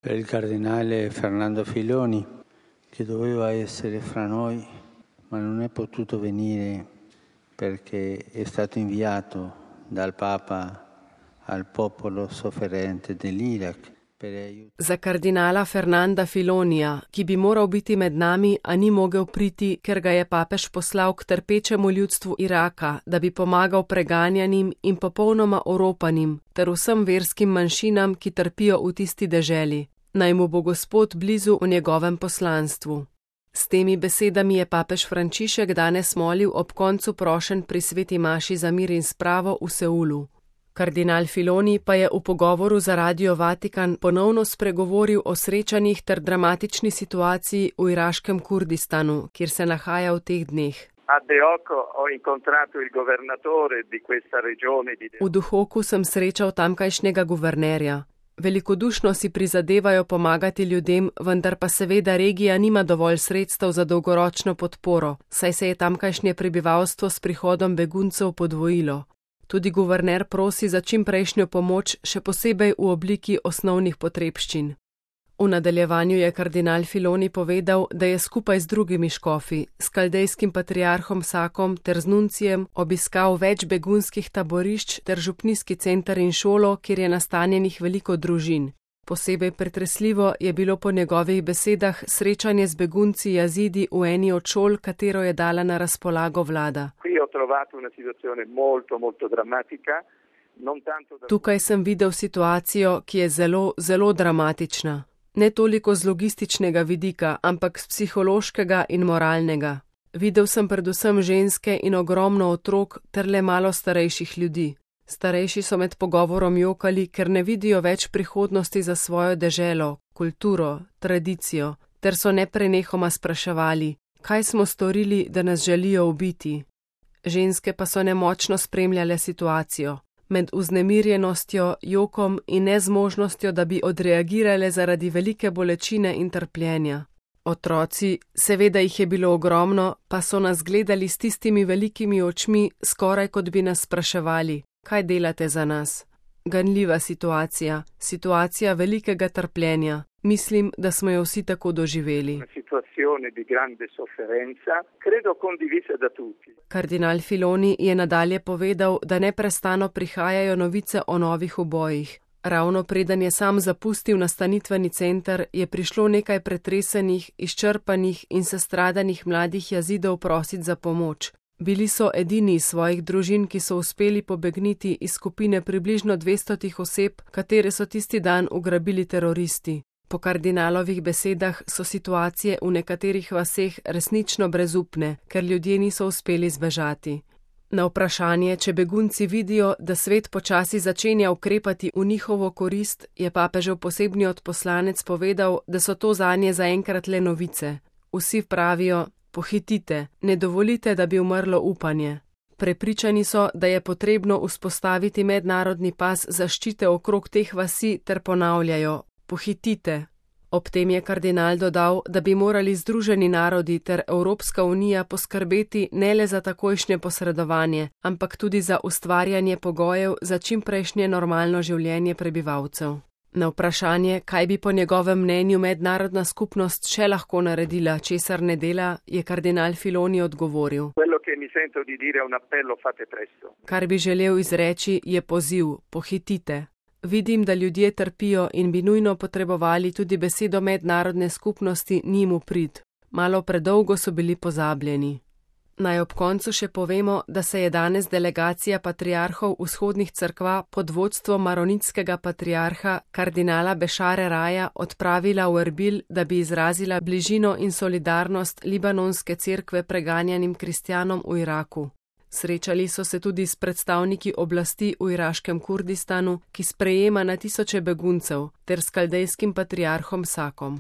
Per il cardinale Fernando Filoni, che doveva essere fra noi, ma non è potuto venire perché è stato inviato dal Papa al popolo sofferente dell'Iraq. Za kardinala Fernanda Filonija, ki bi moral biti med nami, a ni mogel priti, ker ga je papež poslal k trpečemu ljudstvu Iraka, da bi pomagal preganjanim in popolnoma oropanim ter vsem verskim manjšinam, ki trpijo v tisti deželi. Naj mu bo Gospod blizu v njegovem poslanstvu. S temi besedami je papež Frančišek danes molil ob koncu prošenj pri sveti maši za mir in spravo v Seulu. Kardinal Filoni pa je v pogovoru za Radio Vatikan ponovno spregovoril o srečanjih ter dramatični situaciji v iraškem Kurdistanu, kjer se nahaja v teh dneh. V Duhoku sem srečal tamkajšnjega guvernerja. Velikodušno si prizadevajo pomagati ljudem, vendar pa seveda regija nima dovolj sredstev za dolgoročno podporo, saj se je tamkajšnje prebivalstvo s prihodom beguncev podvojilo. Tudi guverner prosi za čimprejšnjo pomoč, še posebej v obliki osnovnih potrebščin. V nadaljevanju je kardinal Filoni povedal, da je skupaj z drugimi škofi, s kaldejskim patriarhom Sakom ter z nuncijem obiskal več begunskih taborišč ter župnijski center in šolo, kjer je nastanjenih veliko družin. Posebej pretresljivo je bilo po njegovih besedah srečanje z begunci Jazidi v eni od šol, katero je dala na razpolago vlada. Tukaj sem videl situacijo, ki je zelo, zelo dramatična. Ne toliko z logističnega vidika, ampak z psihološkega in moralnega. Videl sem predvsem ženske in ogromno otrok ter le malo starejših ljudi. Starejši so med pogovorom jokali, ker ne vidijo več prihodnosti za svojo deželo, kulturo, tradicijo, ter so neprenehoma spraševali, kaj smo storili, da nas želijo ubiti. Ženske pa so nemočno spremljale situacijo. Med vznemirjenostjo, jokom in nezmožnostjo, da bi odreagirale zaradi velike bolečine in trpljenja. Otroci, seveda jih je bilo ogromno, pa so nas gledali s tistimi velikimi očmi, skoraj kot bi nas spraševali, kaj delate za nas. Ganljiva situacija, situacija velikega trpljenja. Mislim, da smo jo vsi tako doživeli. Kardinal Filoni je nadalje povedal, da neprestano prihajajo novice o novih ubojih. Ravno preden je sam zapustil nastanitveni center, je prišlo nekaj pretresenih, izčrpanih in sestradanih mladih Jazidov prosit za pomoč. Bili so edini iz svojih družin, ki so uspeli pobegniti iz skupine približno 200 oseb, katere so tisti dan ugrabili teroristi. Po kardinalovih besedah so situacije v nekaterih vaseh resnično brezupne, ker ljudje niso uspeli zbežati. Na vprašanje, če begunci vidijo, da svet počasi začenja ukrepati v njihovo korist, je papežev posebni odposlanec povedal, da so to zanje zaenkrat le novice. Vsi pravijo, pohitite, ne dovolite, da bi umrlo upanje. Prepričani so, da je potrebno vzpostaviti mednarodni pas zaščite okrog teh vasi ter ponavljajo, pohitite. Ob tem je kardinal dodal, da bi morali Združeni narodi ter Evropska unija poskrbeti ne le za takojšnje posredovanje, ampak tudi za ustvarjanje pogojev za čimprejšnje normalno življenje prebivalcev. Na vprašanje, kaj bi po njegovem mnenju mednarodna skupnost še lahko naredila, česar ne dela, je kardinal Filoni odgovoril. Kar bi želel izreči, je poziv, pohitite. Vidim, da ljudje trpijo in bi nujno potrebovali tudi besedo mednarodne skupnosti njim v prid. Malo predolgo so bili pozabljeni. Naj ob koncu še povemo, da se je danes delegacija patriarhov vzhodnih cerkva pod vodstvom maronitskega patriarha kardinala Bešare Raja odpravila v Erbil, da bi izrazila bližino in solidarnost libanonske cerkve preganjanim kristjanom v Iraku. Srečali so se tudi s predstavniki oblasti v iraškem Kurdistanu, ki sprejema na tisoče beguncev, ter s kaldejskim patriarhom Sakom.